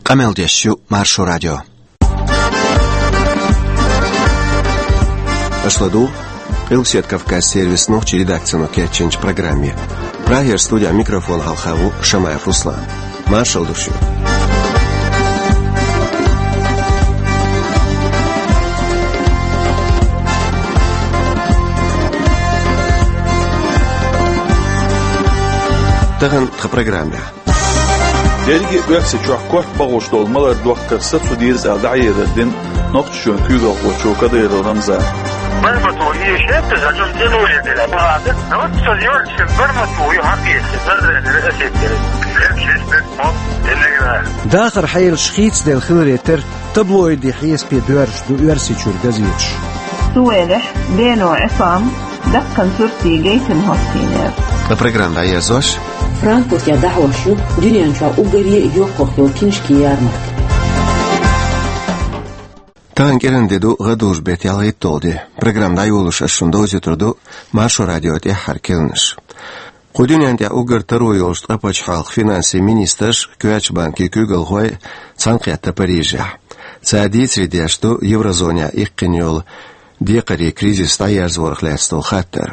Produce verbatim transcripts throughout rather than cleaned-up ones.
Къамел деш ю Маршо радио. Аша ладугӀу Къилбаседа Кавказ сервисан нохчийн редакцино кечйинчу программе. Прагера студехь микрофон хьалха ву Шамаев Руслан. Маршалла ду шуьга. Тахана тхан программехь. Дерриге а Оьрсийчохь корта бахьуш долу малар дохкар сацо деза аьлла дӀахьедар дина Нохчийчоьнан куьйгалхочо Кадыров Рамзана. Бармату и шетта за чун тянули для бада. Но вот со Юрчик Бармату и хьакъ есть. Надо осеттеры. Лет шесть лет мон. Иногда. Дахар хьелаш хийцаделла хиларе терра таблоидийн хьесапе доьрзуш ду Оьрсийчуьра газеташ. Цу велахь Бено Ӏисам даккхана суртий гайтина хӀоттийнера. Ткъа программа дӀаерзош. Франкфуртехь дӀахьош ю дуьнен чохь уггаре а йоккхах йолу киншкийн ярмарка. Тахана кӀиран де ду, гӀадужу беттан ялхитталгӀа де. Программа дӀайолош ас шуна довзуьйтур ду Маршо радион тӀаьххьара керланаш. Кху дуьнен тӀехь уггар таро йолчу ткъа пачхьалкхан финансийн министрш, коьртачу банкийн куьйгалхой цхьаьнакхетта Парижехь. Цара дийцаре деш ду еврозонехь иккхина йолу декхарийн кризис дӀаерзорах лаьцна долу хаттар.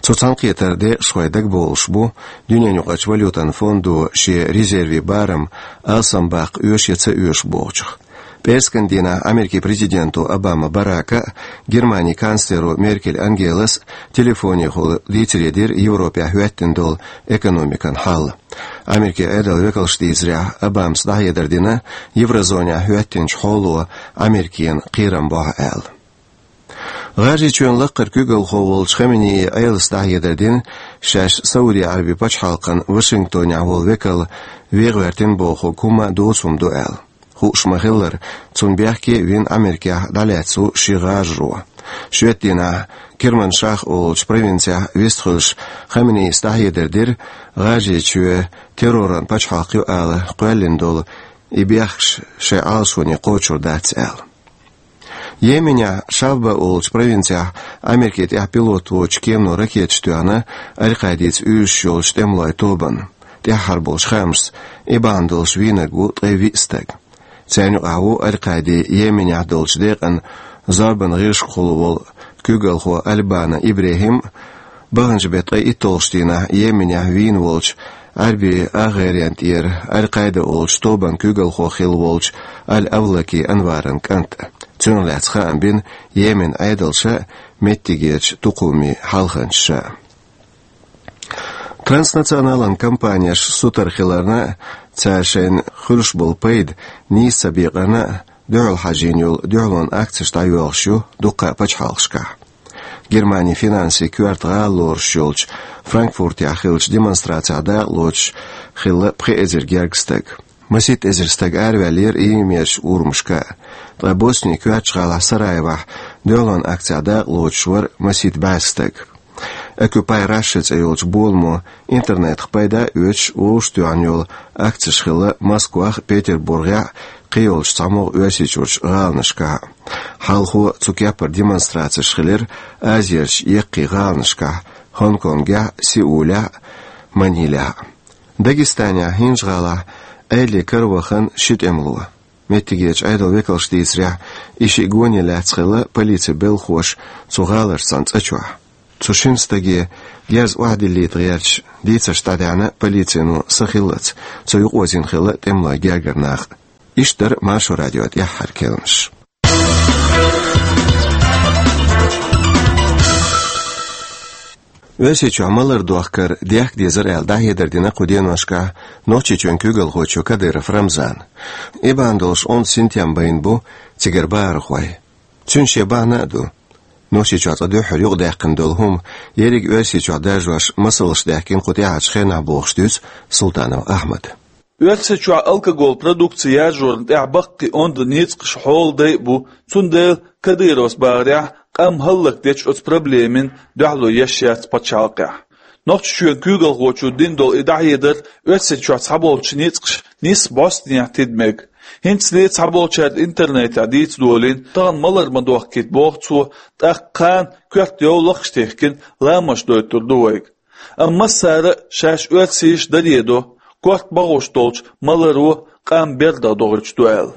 Цу цхьаьнакхетаран декъашхой дагабовлуш бу, дуьненаюкъарчу валютан фондо шен резервийн барам алсам баккха оьшу я ца оьшу бохучух. ПӀераскан дийнахь Америкин президенто Обама Барака а, Германин канцлеро Меркель Ангелас а телефонехула дийцаре дира Европехь хӀоьттина долу экономикан хьал. Америкин Ӏедалан векалша дийцарехь, Обамас дӀахьедар дина еврозонехь хӀоьттинчу хьоло Америкина кхерам бохьу аьлла. ГӀажарийчоьнан лакхара куьйгалхо волчу Хаменеи Ӏелас дӀахьедар дина, шаьш Сауди-Ӏаьрбийн пачхьалкхан Вашингтонехь волу векал вен гӀоьртина бохург хӀумма а доцу хӀума ду аьлла. Хууш ма-хиллара, цунна бехке а вина Америкехь дӀалаьцна ву ши гӀажаро. Шоьтан дийнахь Керманшах олучу провинцехь вистхуьлуш Хаменеис дӀахьедар дира, ГӀажарийчоь терроран пачхьалкх ю ала кхоьллина долу и бехкаш шайн Ӏалашоне кхочур дац аьлла. Йеменехь Шавба олучу провинцехь Америкин тӀехь пилот воцучу кемано ракеташ тоьхна Аль-Къаидица уьйраш йолчу тӀемалойн тобанна. ТӀаьххьара болчу хаамашца, и бахьана долуш вийнарг ву ткъе виъ стаг. Царна юкъахь ву Аль-Къаидин Йеменехь долчу декъан зорбанан гӀирсашкахула волу куьйгалхо Аль-Бана ИбрахӀим а, баханчу беттан ткъе итталгӀачу дийнахь Йеменехь вийна волчу Ӏаьрбийн агӀеран тӀера Аль-Къаида олучу тобанан куьйгалхо хилла волчу Аль-Авлаки Анваран кӀант а. Цунах лаьцна хаам бина Йеменан Ӏедалша а, меттигерчу тукхумийн хьалханчаша а. Транснационалан компанеш сутара хиларна а, цара шайна хуьлуш болу пайда нийса ца бекъарна а, дуьхьал хьажийна йолу дуьхьалонан акцеш дӀайоьлхуш ю дуккха а пачхьалкхашкахь. Германин финансийн коьрта гӀала лоруш йолчу Франкфуртехь хиллачу демонстрацехь дакъалоцуш хилла пхи эзар гергга стаг. Масийтта эзар стаг араваьллера и мерачу урамашка а. Ткъа Боснин коьртачу гӀалахь Сараевохь дуьхьалонан акцехь дакъалоцуш вара масийтта бӀе стаг. Occupy Russia цӀе йолчу боламо интернетах пайда а оьцуш вовшахтоьхна йолу акцеш хилла Москвахь а, Петербургехь а, кхийолчу цхьамогӀа Оьрсийчуьрчу гӀаланашкахь а. Хьалхо цу кеппара демонстрацеш хилира Азерчу яккхий гӀаланашкахь: Гонконгехь а, Сеулехь а, Манилехь а. Дагестанехь ХӀинжа-ГӀалахь Ӏеле каравахана ши тӀемало. Меттигерчу Ӏедалан векалша дийцарехь, и шиъ гоне лаьцна хилла полицин белхахоша цу гӀаларчу цхьана цӀа чохь. Цу шина стаге герз охьадиллийта гӀерташ дийцарш дӀадаьхьна полицино са хиллалц, цо юкъаозийна хилла тӀемалойн гергара нах а. Иштта дара Маршо радион тӀаьххьара керланаш. Оьрсийчохь малар дохкар дехка дезара аьлла дӀахьедар дина кху деношкахь Нохчийчоьнан куьйгалхочо Кадыров Рамзана. И бахьана долуш онда синтем байна бу цигара бахархой. Цуьнан шен бахьана а ду. Нохчийчохь цкъа дуьххьара юкъадаьккхина долу хӀума ерриг Оьрсийчохь даржош масалш даьхкина кху тӀаьхьарчу хенахь бохуш дуьйцу Султанов Ахьмада. Оьрсийчохь алкоголан продукци яржорна тӀехь баккхий онда ницкъаш, хьоладай а бу, цундела Кадыровс бахарехь, къам хӀаллакдечу оцу проблемина дуьхьало еш яц пачхьалкхехь. Нохчийчоьнан куьйгалхочо дина долу и дӀахьедар Оьрсийчохь цхьаболчу ницкъаша нийсса бӀостанехьа тида мега. ХӀинцале цхьаболчара интернетехь дийца долийна, тахана малар ма дохкийта боху цо, тӀаккха кхана коьрта йовлакхаш тихкина ламазаш дойтур ду вайга. Амма массара а шаьш оьрсийша даре до, корта бахьуш долчу маларо къам берда догӀучу ду аьлла.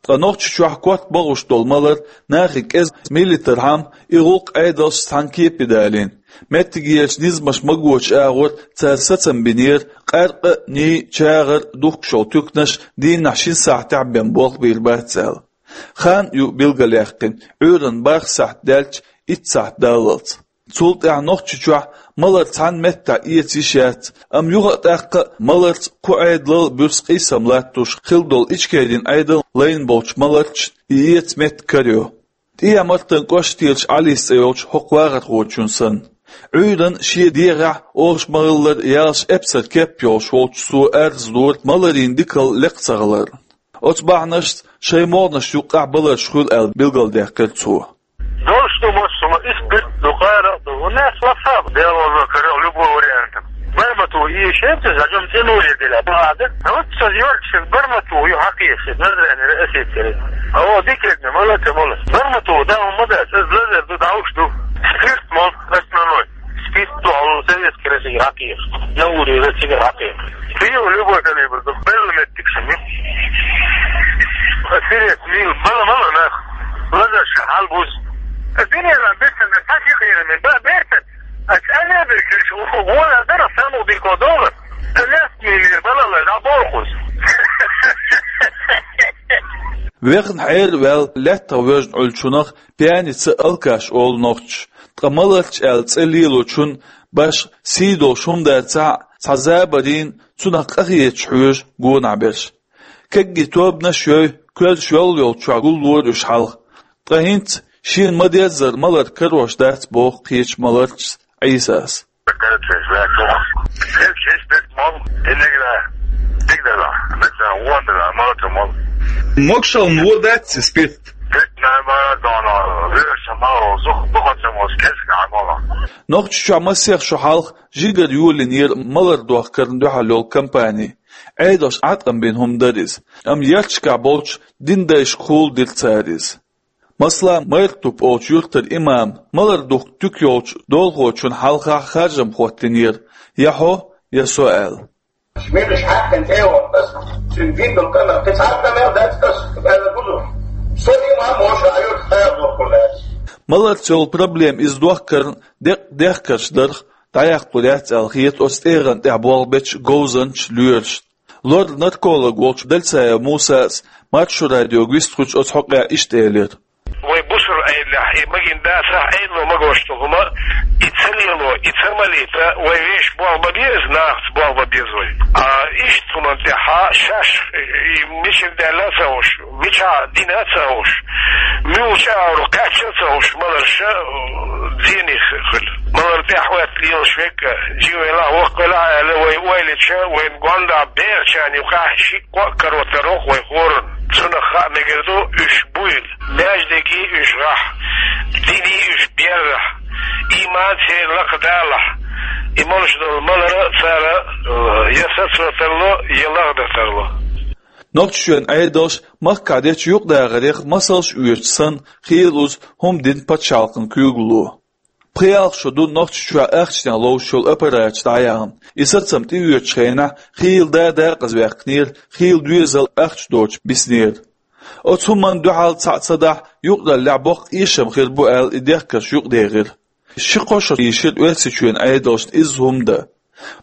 Ткъа Нохчийчохь корта богӀуш долу малар нахе кӀезиг миллийтархьама, и гӀуллакх Ӏедалша цхьаьна кепе далийна. Меттигерчу низамаша магочу агӀор цара сацам бинера, къаьркъа а, ней а, чагӀар а духкуш йолу туьканаш дийнахь шина сахьтехь бен болх бийр бац аьлла. Хан ю билгалъяьккхина, Ӏуьйранна бархӀ сахьт даьлча, итт сахьт даллалц. Цул тӀаьхьа Нохчийчохь малар цхьана меттехь эца йиш яц, амма юха а тӀаккха а маларца кху Ӏедалал а буьрса къийсам латтош хилла долу Ичкерин Ӏедал лайна болчу маларчашна и эца меттиг карайо. ТӀехьа-Мартан кӀоштарчу Ӏалис цӀе йолчу хӀокху вахархочун санна. Ӏуьйранна шен дегӀехь, олуш ма-хиллара, ялх эпсар кеп йолуш волчу цо арз дора маларийн дикалла лекха ца хилар. Оцу бахьанашца шайн могӀанаш юккъехь баларш хуьлу аьлла билгалдаьккхира цо. Долуш ду массо, и спирт ду, къаьркъа ду, у нас лафа, дело уже, короче, любой вариант. Бармату и шемца, за чем тянули для бада. А вот со зёрчик бармату, ю хакиеш, назрани, осетери. А вот дикредна, молодцы, молодцы. Бармату, да, он мода, со злазер, ду, да уж ду. Спирт, мол, основной. Спирт ду, а у советский России хакиеш. На уровне России хакиеш. Приём любой калибр, ду, белый меттик шами. Осетери, мил, мало, мало, нах. Лазар шахал буз. Динера бертен, тасих ерме, ба бертен. Ас ана бертен, вона дара саму бирко доллар. Лес миллер балала, да болхуз. Вехна хьерваьлла лаьттах воьжна Ӏуьллучунах пьяница, алкаш олу нохчаша. Ткъа маларча аьлла цӀе лелочун башха сий долуш хӀума дацахь а, цхьа забарийн, цунах къахеташ хьоьжу гонахь берш. Кегий тобанаш йой, коьрташ йолла йолчохь гуллора уьш хьалха. Ткъа хӀинца шена ма-деззара малар карош дац, боху кхечу маларчас Ӏийсас. Могушалла вон дац и спирт? Нохчийчохь масех шо хьалха жигара йолийнера малар дохкарна дуьхьал йолу кампани. Ӏедалша Ӏаткъам бина хӀума дара иза, амма ярташкахь болчу динан дайшкахула дира цара иза. Масала, Майртуп олучу юьртара имама малар духку туька йолчу долахочунна хьалхахь харжам хӀоттийнера, я хьо, я со аьлла. Шмелаш хьаькхина тӀе а вахана, ас цуьнан гиндал къамел, кхин цхьа а къамел дац ас, аьлла гузуш. Со имам волуш а юьртахь хьаьрдохур дац. Маларца йолу проблема иза дохкарна деккъа дехкарш дарх дӀаяккхалур яц аьлла хета оцу тӀегӀан тӀехь болх бечу говзанчаша, лоьрашна. Лор-нарколог волчу Дальсаев Мусас Маршо радиога вистхуьлуш оцу хьокъехь иштта элира. Вай бусалба Ӏедалехь и магийна дацахь, Ӏедало магош долу хӀума, и ца лело, и ца малийта, вай вешан болх бан беза, нахаца болх бан беза вай. А иштта хӀуманна тӀехь шаьш, и мичара даьлла а ца хууш, мичахь дина а ца хууш, муьлхачу агӀор кхаьчна а ца хууш, маларша, э, зене хуьлу. Малар тӀехь хӀоьттина лелаш верг а, жима велахь, воккха велахь аьлла, вай ойла йича, вайн гондахь берачарна юкъахь ши-кхо а каро тарло вай хӀоранна. Цунах хаа мегар ду, уьш буйла, маьждиге уьш гӀахь, дине уьш берзахь, иман церан лакхадалахь, и молуш долу малар цара, э, я сацо тарло, я лахдан тарло. Нохчийчоьнан Ӏедалша махкахь дечу юкъадахарех масалш оьцуш санна, хийла уьш хӀума дина пачхьалкхан куьйгалло. Пхи-ялх шо ду Нохчийчохь ахчанех ловзуш йолу аппараташ дӀаяхна. И сацам тӀеоьцучу хенахь хийла да декъаза ваьккхинера, хийла доьзал ахча доцуш биснера. Оцу хӀуманна дуьхьал цхьаъ ца дахь, юкъараллехь боккха эшам хир бу аьлла, и дехкарш юкъадехира. Ши-кхо шо йийшира Оьрсийчоьнан Ӏедалшна изза хӀума дан.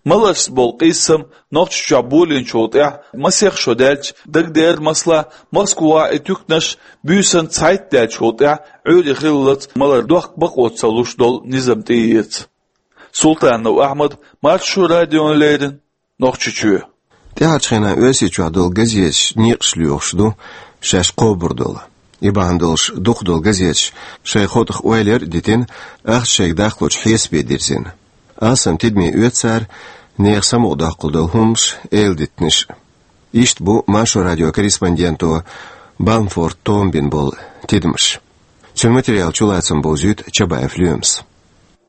Маларшца болу къийсам Нохчийчохь болийначул тӀаьхьа масех шо даьлча, дагадеара, масала, Москвахь и туьканаш буьйсанна цхьайтта даьллачул тӀаьхьа Ӏуьйре хиллалц малар дохка бакъо ца луш долу низам тӀеэца. Султанов Ахьмад, Маршо радиона леррина, Нохчийчоь. ТӀаьхьарчу хенахь Оьрсийчохь долу газеташ некъаш лоьхуш ду шаьш кхобур долу. И бахьана долуш дукхах долу газеташ шайн хотах ойлар а дитина, ахча шайга даккхалучу хьесапе дирзина. Алсам тидаме оьцу цара нехан самукъадоккхуш долу хӀуманаш, эладитанаш. Иштта бу Маршо радион корреспонденто Балмфорд Тома бина болу тидамаш. Цуьнан материалан чулацам бовзуьйту Чабаев Лоьмас.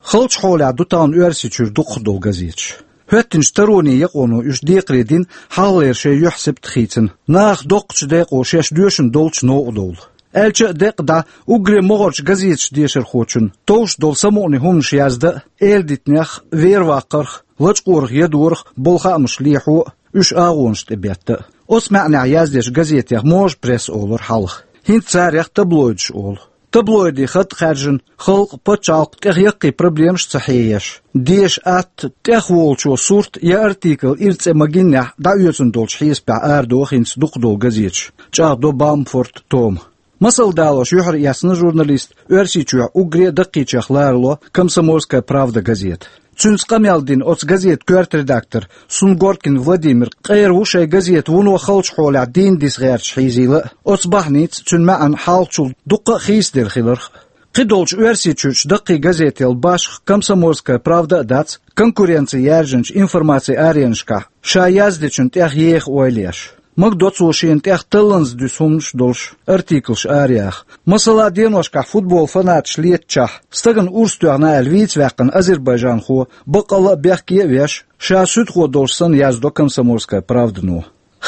Халчу хьолехь ду тахана Оьрсийчуьра дукхах долу газеташ. ХӀоьттинчу таронийн якъоно уьш декхаре дина, хьалхалера шайн юьхь-сибат хийцина, нахах доккхачу декъо шаьш доьшуш долчу новкъа довла. Аьлча а декъа дӀа, уггаре могӀарчу газеташ дешархочун товш долу самукъане хӀуманаш яздан а, эладитанех а, вер-ваккхарх а, лачкъорах, ядорах а болу хаамаш лехьо а, уьш агӀонаш тӀе бетта а. Оцу маьӀнехь яздечу газетех «Можа пресса» олура хьалха. ХӀинца царех «Таблоидаш» олу. Таблоидийн хатӀ хаьржина, халкъ, пачхьалкх тӀех яккхий проблемаш ца хьееш, деша атта, тӀех волчо сурт я артикл ира цӀе ма-гиннехь, дӀаоьцун долчу хьесапехь арадоху хӀинца дукхах долу газеташ, чӀагӀдо Балмфорт Тома. Масал далош, юьхьар эцна журналист Оьрсийчохь уггаре а даккхийчех ларало «Комсомольская правда» газета. Цуьнца къамел дина оцу газетан коьрта редактор Сунгоркин Владимир къера ву шайн газета вуно халчу хьолехь дийна диса гӀерташ хьийзийла а, оцу бахьаница цуьнан маьӀна хьалхачул дуккха а хийцаделла хиларх а. Кхидолчу Оьрсийчуьрчу даккхий газетел башха «Комсомольская правда» а дац конкуренци яьржинчу информацин аренашкахь ша яздечун тӀех еха ойла еш. Магадо цо шена тӀех талланза дуьсу хӀуманаш а долуш артиклаш араяха. Масала, деношкахь футбол фанаташ летачохь, стагана урс тоьхна аьлла вийца ваьккхина азербайджанхо баккъалла а бехке а веш, ша суьдхо долуш санна яздо «Комсомольская правдано».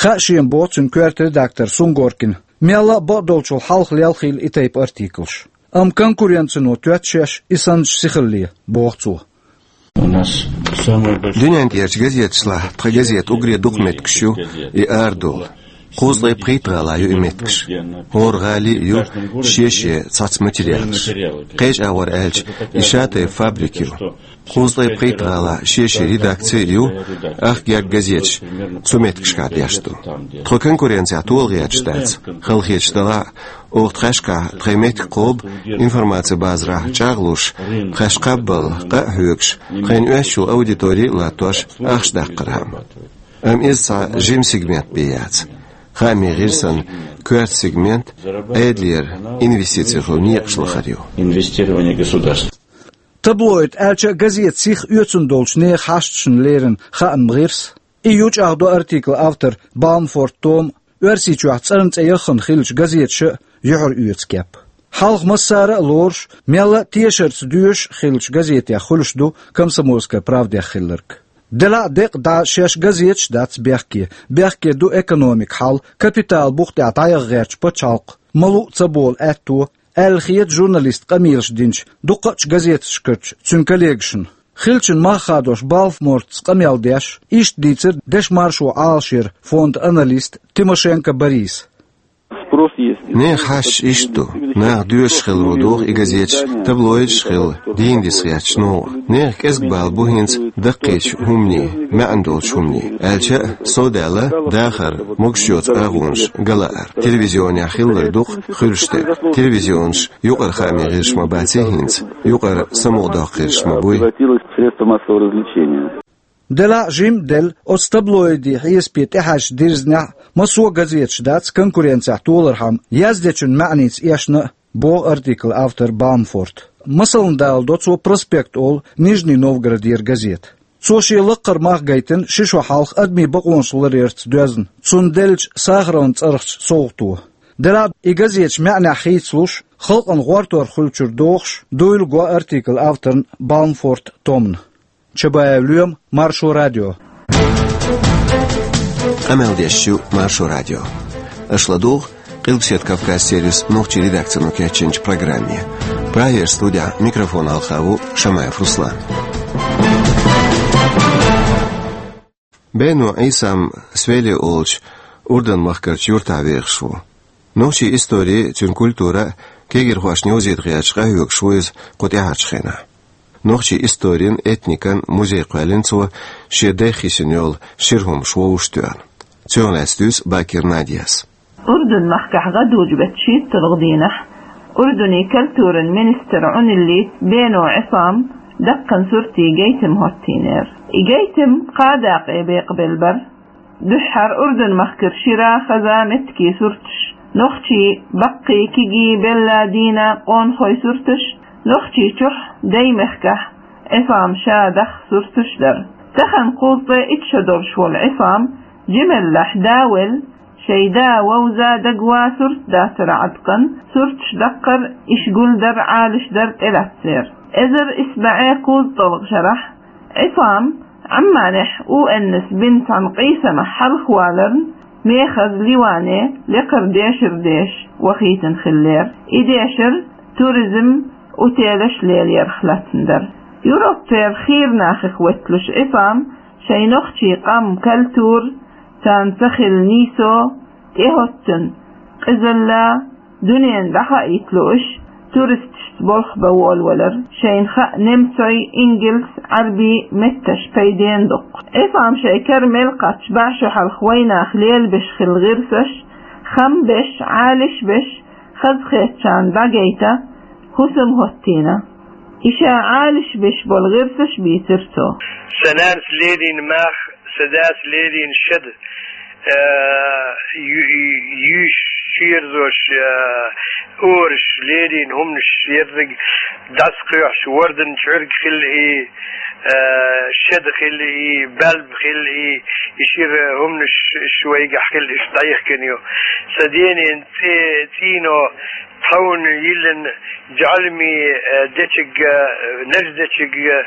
Хаьа шена, боху цуьнан коьрта редактор Сунгоркина, мелла а бакъдолчул хьалха лелхийла и тайпа артиклаш. Амма конкуренцино тоьтту шаьш и санначу сихалле, боху цо. Дуьнен тӀерачу газеташлахь тхан газетан уггаре дукха меттигаш ю и арадолу. Кхузткъе пхийтта гӀалахь ю и меттигаш. ХӀора гӀали а ю шен-шен цхьацца материалаш. Кхечу агӀор аьлча, и шатайпа фабрика ю. Кхузткъе пхийтта гӀалахь шен-шен редакци а ю, ах герга газеташ цу меттигашкахь деш ду. Тхо конкуренцехь тола гӀерташ дац. Халахеташ делахь а, оха тхаьшкахь тхайн меттиг кхобу, информацин базарахь чӀагӀлуш, тхаьш кхаббалла къа а хьоьгуш, тхайна оьшучул аудитори а латтош, ахча даккхархьама. Амма иза цхьа жима сегмент бен яц. Хаамийн гӀирсан коьрта сегмент Ӏедалера инвестици хуьлу некъаш лахар ю. Инвестирование государства. Таблоид аьлча а газета сиха оьцун долчу нехан хьашташна леррина хааман гӀирс. И ю, чӀагӀдо артиклан автор Балмфорт Тома, Оьрсийчохь цӀарна цӀе яххана хиллачу газеташа а юьхьар оьцу кеп. Хьалха массара а лоруш, мелла а тешарца доьшуш а хиллачу газетех хуьлуш ду «Комсомольская правдех» хилларг. Делахь а декъа дӀа шаьш газеташ а дац бехке, бехке ду экономикан хьал, капитал бух тӀехь дӀаяха гӀертачу пачхьалкхан ма-луъу ца болу аьтто, аьлла хета журналистан къамелаш динчу дуккхачу газеташкарчу цуьнан коллегашна. Хиллачун мах хадош Балмфортца къамел деш, иштта дийцира Дешмаршо Ӏалашъяран фондан аналиста Тимошенко Бориса. Спрос есть. Нехан хьашташ иштта ду. Наха доьшуш хиларо доху и газеташ, таблоидаш а хилла, дийна диса гӀерташ новкъа. Нехан кӀезиг бала бу хӀинца даккхийчу хӀуманийн, маьӀна долчу хӀуманийн. Аьлча а, совдаьлла дахар, могуш йоцу агӀонаш галаар. Телевизионехь хилларг ду-кх хуьлуш дерг. Телевизионаш юкъара хаамийн гӀирсаш ма баций хӀинца, юкъара самукъадоккху гӀирсаш ма буй. Превратилось в средства массового развлечения. Делахь а, жима а делла, оцу таблоидийн хьесапе тӀехьаьжча дирзинехь а, массо а газеташ дац конкуренцехь толархьама яздечун маьӀница эшна а, боху артиклан автор Балмфорт. Масална даладо цо «Проспект» олу Нижний Новгородера газета. Цо шен лаккхара мах гайтина ши шо хьалха адамийн бакъонаш ларъярца доьзна, цунна деллачу Сахаровн цӀарахчу совгӀато. Делахь а, и газеташ маьӀнехь хийцалуш, халкъана гӀортор хуьлучуьра дохуш, дуйла го артиклан авторна Балмфорт Томна. Чабаев Лоьма, Маршо радио. Къамел деш ю Маршо радио. Аша ладугӀу Къилбаседа Кавказ сервисан нохчийн редакцино кечйинчу программе. Прагера студехь микрофон хьалха ву Шамаев Руслан. Бено Ӏийсам Свели олучу Урдан-махкарчу юьртахь вехаш ву. Нохчийн истори, цуьнан культура а кегийрхошна йовзийта гӀерташ къахьоьгуш ву иза кху тӀаьхьарчу хенахь. Нохчийн историн, этникан музей кхоьллина цо, шен дайх йисина йолу шира хӀумнаш вовшахтоьхна. Цунах лаьцна дуьйцу Бакир Надяс. Урдун-махкахь гӀадужу беттан шийтталгӀа дийнахь Урдунан культуран министр Ӏуниллийтта Бено Ӏисам даккхийчу суртийн гайтам хӀоттийнера. И гайтам кхаа дакъе бекъабелла бара. Дуьххьара Урдун-махкара шира, хаза меттигийн сурташ, нохчийн, баккхий, кегий, белла, дийна, къонахойн сурташ, Нохчийчохь, Даймехкахь Ӏисам ша даха сурташ дара. Тахана кхузткъе итт шо долуш волу Ӏисам жималлехь да велла, шайн да вовза дагаван сурт дацара Ӏаткъан, сурташ даккхар, иш гулдар, Ӏалашдар тӀелаьцнера. Эзар исс бӀе кхузткъалгӀа шарахь Ӏисам Ӏамманехь У Н С бин цхьана къийсамехь хьалхаваларна, мехаза Ливане лекхара дешар деша вахийтина хиллера. И дешар туризм, отелаш лелаярх лаьцна дара. Европера хийра нахах ветталуш Ӏисам шайн нохчийн къам, культура, Царна ца хилла нийсо тӀехӀоттийна къизалла, дуьненна дӀахаийта лууш, туристашца болх бан волавелар, шайна хаьа немцойн, ингалс, Ӏарбий метташ пайденна дукха. Ӏисама шайн кара мел кхаьчча, бӀе шо хьалха вайнах лелабеш хилла гӀирсаш, хам беш, Ӏалаш беш, хазахетачарна дӀагайта, хӀусам хӀоттийна. И ша Ӏалаш беш болу гӀирсаш бийцира цо. Сан нанас лелийна мах, сан дас лелийна шеда, э, ю-, ю-, юьйш, шерзош, э, ораш, лелийна хӀуманаш ерриг дӀасакхоьхьуш, вордан чӀирг хилла и, э, шеда хилла и, балба хилла и, и шира хӀуманаш ш-, ш-, вайгахь хилла, иштта дӀайихкина ю. Сан денан цӀе-, цӀийно тховна йиллина жӀалми, э, дечиг, э, наж дечиг, э,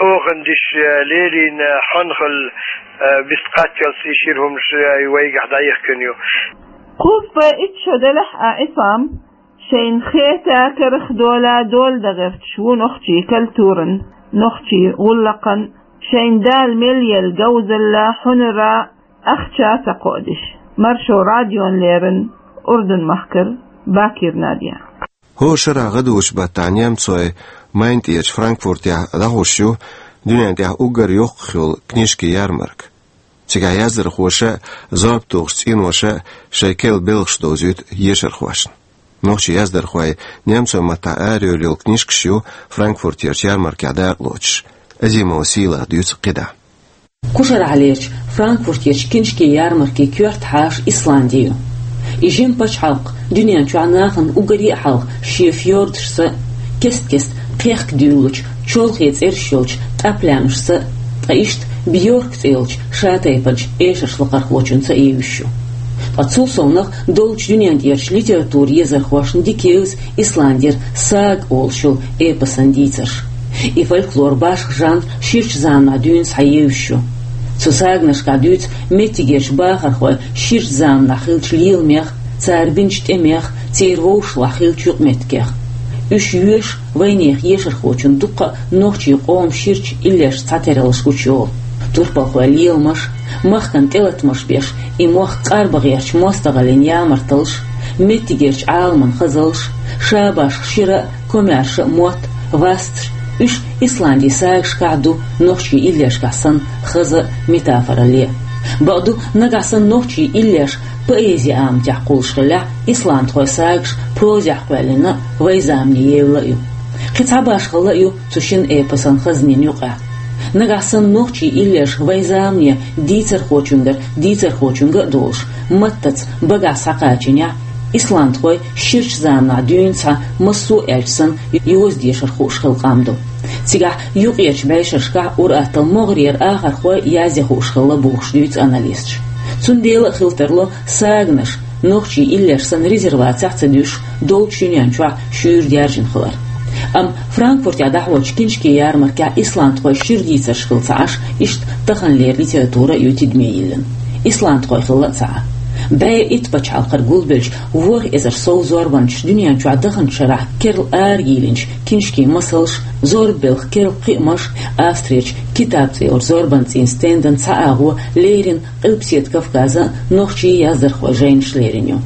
охандиш, э, лелийна хьонхал, э, бист кхаччалц и шира хӀуманаш, э, вайгахь дӀайихкина ю. Кхузткъе итт шо делахь а Ӏисам шайна хетарг карах дола дола дан гӀерташ ву нохчийн культуран, нохчийн гӀуллакхан, шайна Дала мел елла говзалла, хьунара, ахча ца кхоадеш. Маршо радиона леррина Урдун-махкара Бакир Надя. ХӀора шарахь гӀадужу баттахь немцойн Майна тӀерачу Франкфуртехь дӀахьуш ю дуьнен тӀехь уггар йоккхах йолу книжкийн ярмарка. Цигахь яздархоша а, зорба тухучу цӀеноша а шайн керла белхаш довзуьйту ешархошна. Нохчийн яздархойн немцойн маттахь арайолу книжкаш ю Франкфуртерчу ярмаркехь дакъалоцуш. Азимова Сийлаха дуьйцу кхидӀа. Кху шарахьлерчу Франкфуртерчу книжкийн ярмаркийн коьрта хьаша Исланди ю. И жима пачхьалкх дуьнен чохь нахана уггаре а хьалха шен фьордашца, кест-кеста кхехка дуьйлалучу чолхе цӀераш йолчу тӀаплаьмашца, ткъа иштта Бьорк цӀе йолчу шатайпанчу эшарш лакхархочуьнца а евзаш ю. Ткъа цул совнаха долчу дуьнен тӀерачу литературан езархошна дика евза Исландера сага олуш йолу эпосан дийцарш. И фольклор башха жанр ширачу заманахь дуьйна схьаевзаш ю. Цу саганашкахь дуьйцу меттигерчу бахархойн ширачу заманахь хиллачу леламех, цара бинчу тӀемех, церан вовшашлахь хиллачу юкъаметтигех. Уьш йоьшу вайнехан ешархочунна дуккха а нохчийн къоман ширачу иллешца цхьатераллаш гучуйолу. Турпалхойн леламаш, махкана тӀелатамаш беш, и мохк къарбан гӀертачу мостагӀаллин ямарталлаш, меттигерчу Ӏаламан хазаллаш, ша башха шира а, комаьрша а мотт, васташ, уьш Исландин сагашкахь а ду, нохчийн иллешкахь санна, хаза а, метафоралле а. Бакъду, нагахь санна нохчийн иллеш поэзин аматехь кхуллуш хиллехь, исландхойн сагаш прозехь кхоьллина а, вайн замане евлла а ю. Кхин цхьа башхалла а ю цу шина эпосан хазанийн юкъахь. Нагахь санна нохчийн иллеш вайн замане дийцархочуьнгара дийцархочуьнга а долуш, маттаца багахь схьакхачийнехь, исландхойн ширачу заманахь дуьйна схьа массо а аьлча санна йоза дешар хууш хилла къам ду. Цигахь юкъерчу бӀешерашкахь ур-атталла могӀарера ахархой язъян хууш хилла бохуш дуьйцу аналисташа. Цундела а хила тарло саганаш, нохчийн иллеш санна резервацехь а ца дуьсуш, долчу дуьнен чохь шуьйра даьржина хилар. Амма Франкфуртехь дӀахьочу книжкийн ярмаркехь исландхойн шира дийцарш хилла ца Ӏаш, иштта таханлера литература а ю тидаме йиллина. Исландхой хилла а ца Ӏа. БӀе итт пачхьалкхара гулбеллачу ворхӀ эзар сов зорбанчаша дуьнен чохь даханчу шарахь керла арайийлинчу книжкийн масалш, зорбан белхан керла кхиамаш, Австрерчу «Китаб» цӀе йолчу зорбан цӀийнан стендан цхьа агӀо леррина Къилбаседа Кавказан нохчийн яздархойн жайнаш лерина ю.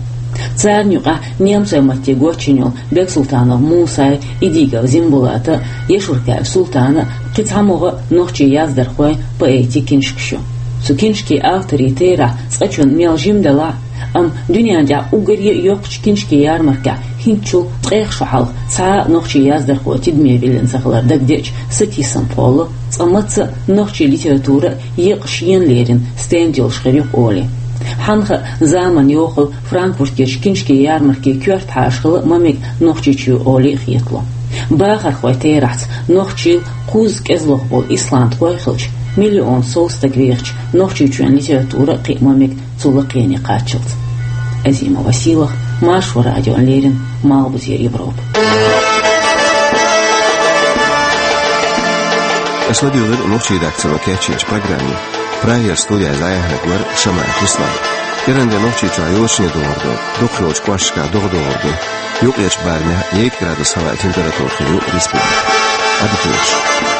Царна юкъахь немцойн матте гочйина йолу Бексултанов Мусайн, Идигов Зимбулатан, Яшуркаев Султанан, кхин цхьа могӀа нохчийн яздархойн, поэтийн книжкаш ю. Цу книжкийн авторийн терахь цкъачунна мел жима делахь а, амма дуьнен тӀехь уггаре а йоккхачу книжкийн ярмаркехь хӀинцачул ткъех шо хьалха цхьа а нохчийн яздархо тидаме виллина ца хилар дагадеъча, сатийсам кхоллало, цкъа мацца а нохчийн литература а екъа шена лерина стенд йолуш хир ю-кх олий. Хьанна хаьа, заманан йохалла Франкфуртерчу книжкийн ярмаркийн коьрта хьаша хила ма мега Нохчийчоь олий а хетало. Бахархойн терахьца нохчийн кхузза кӀезлух болу исландхой а хилча, миллион сов стаг вехачу Нохчийчоьнан литература а кхиа ма мега цу лакхене кхаччалц. Азима Василах, Маршо радиона леррина, Малхбузера Европа. Аша ладуьйгӀира нохчийн редакцино кечйинчу программе. Прагера студехь зӀе яхьнаг вара Шамаев Руслан. КӀиранде Нохчийчохь йочане догӀур ду, дукхахйолчу кӀошташкахь догӀа догӀур ду. Юкъерчу барамехь ейтта градус хӀаваан температура хир ю республикехь. Ӏадика йойла шун.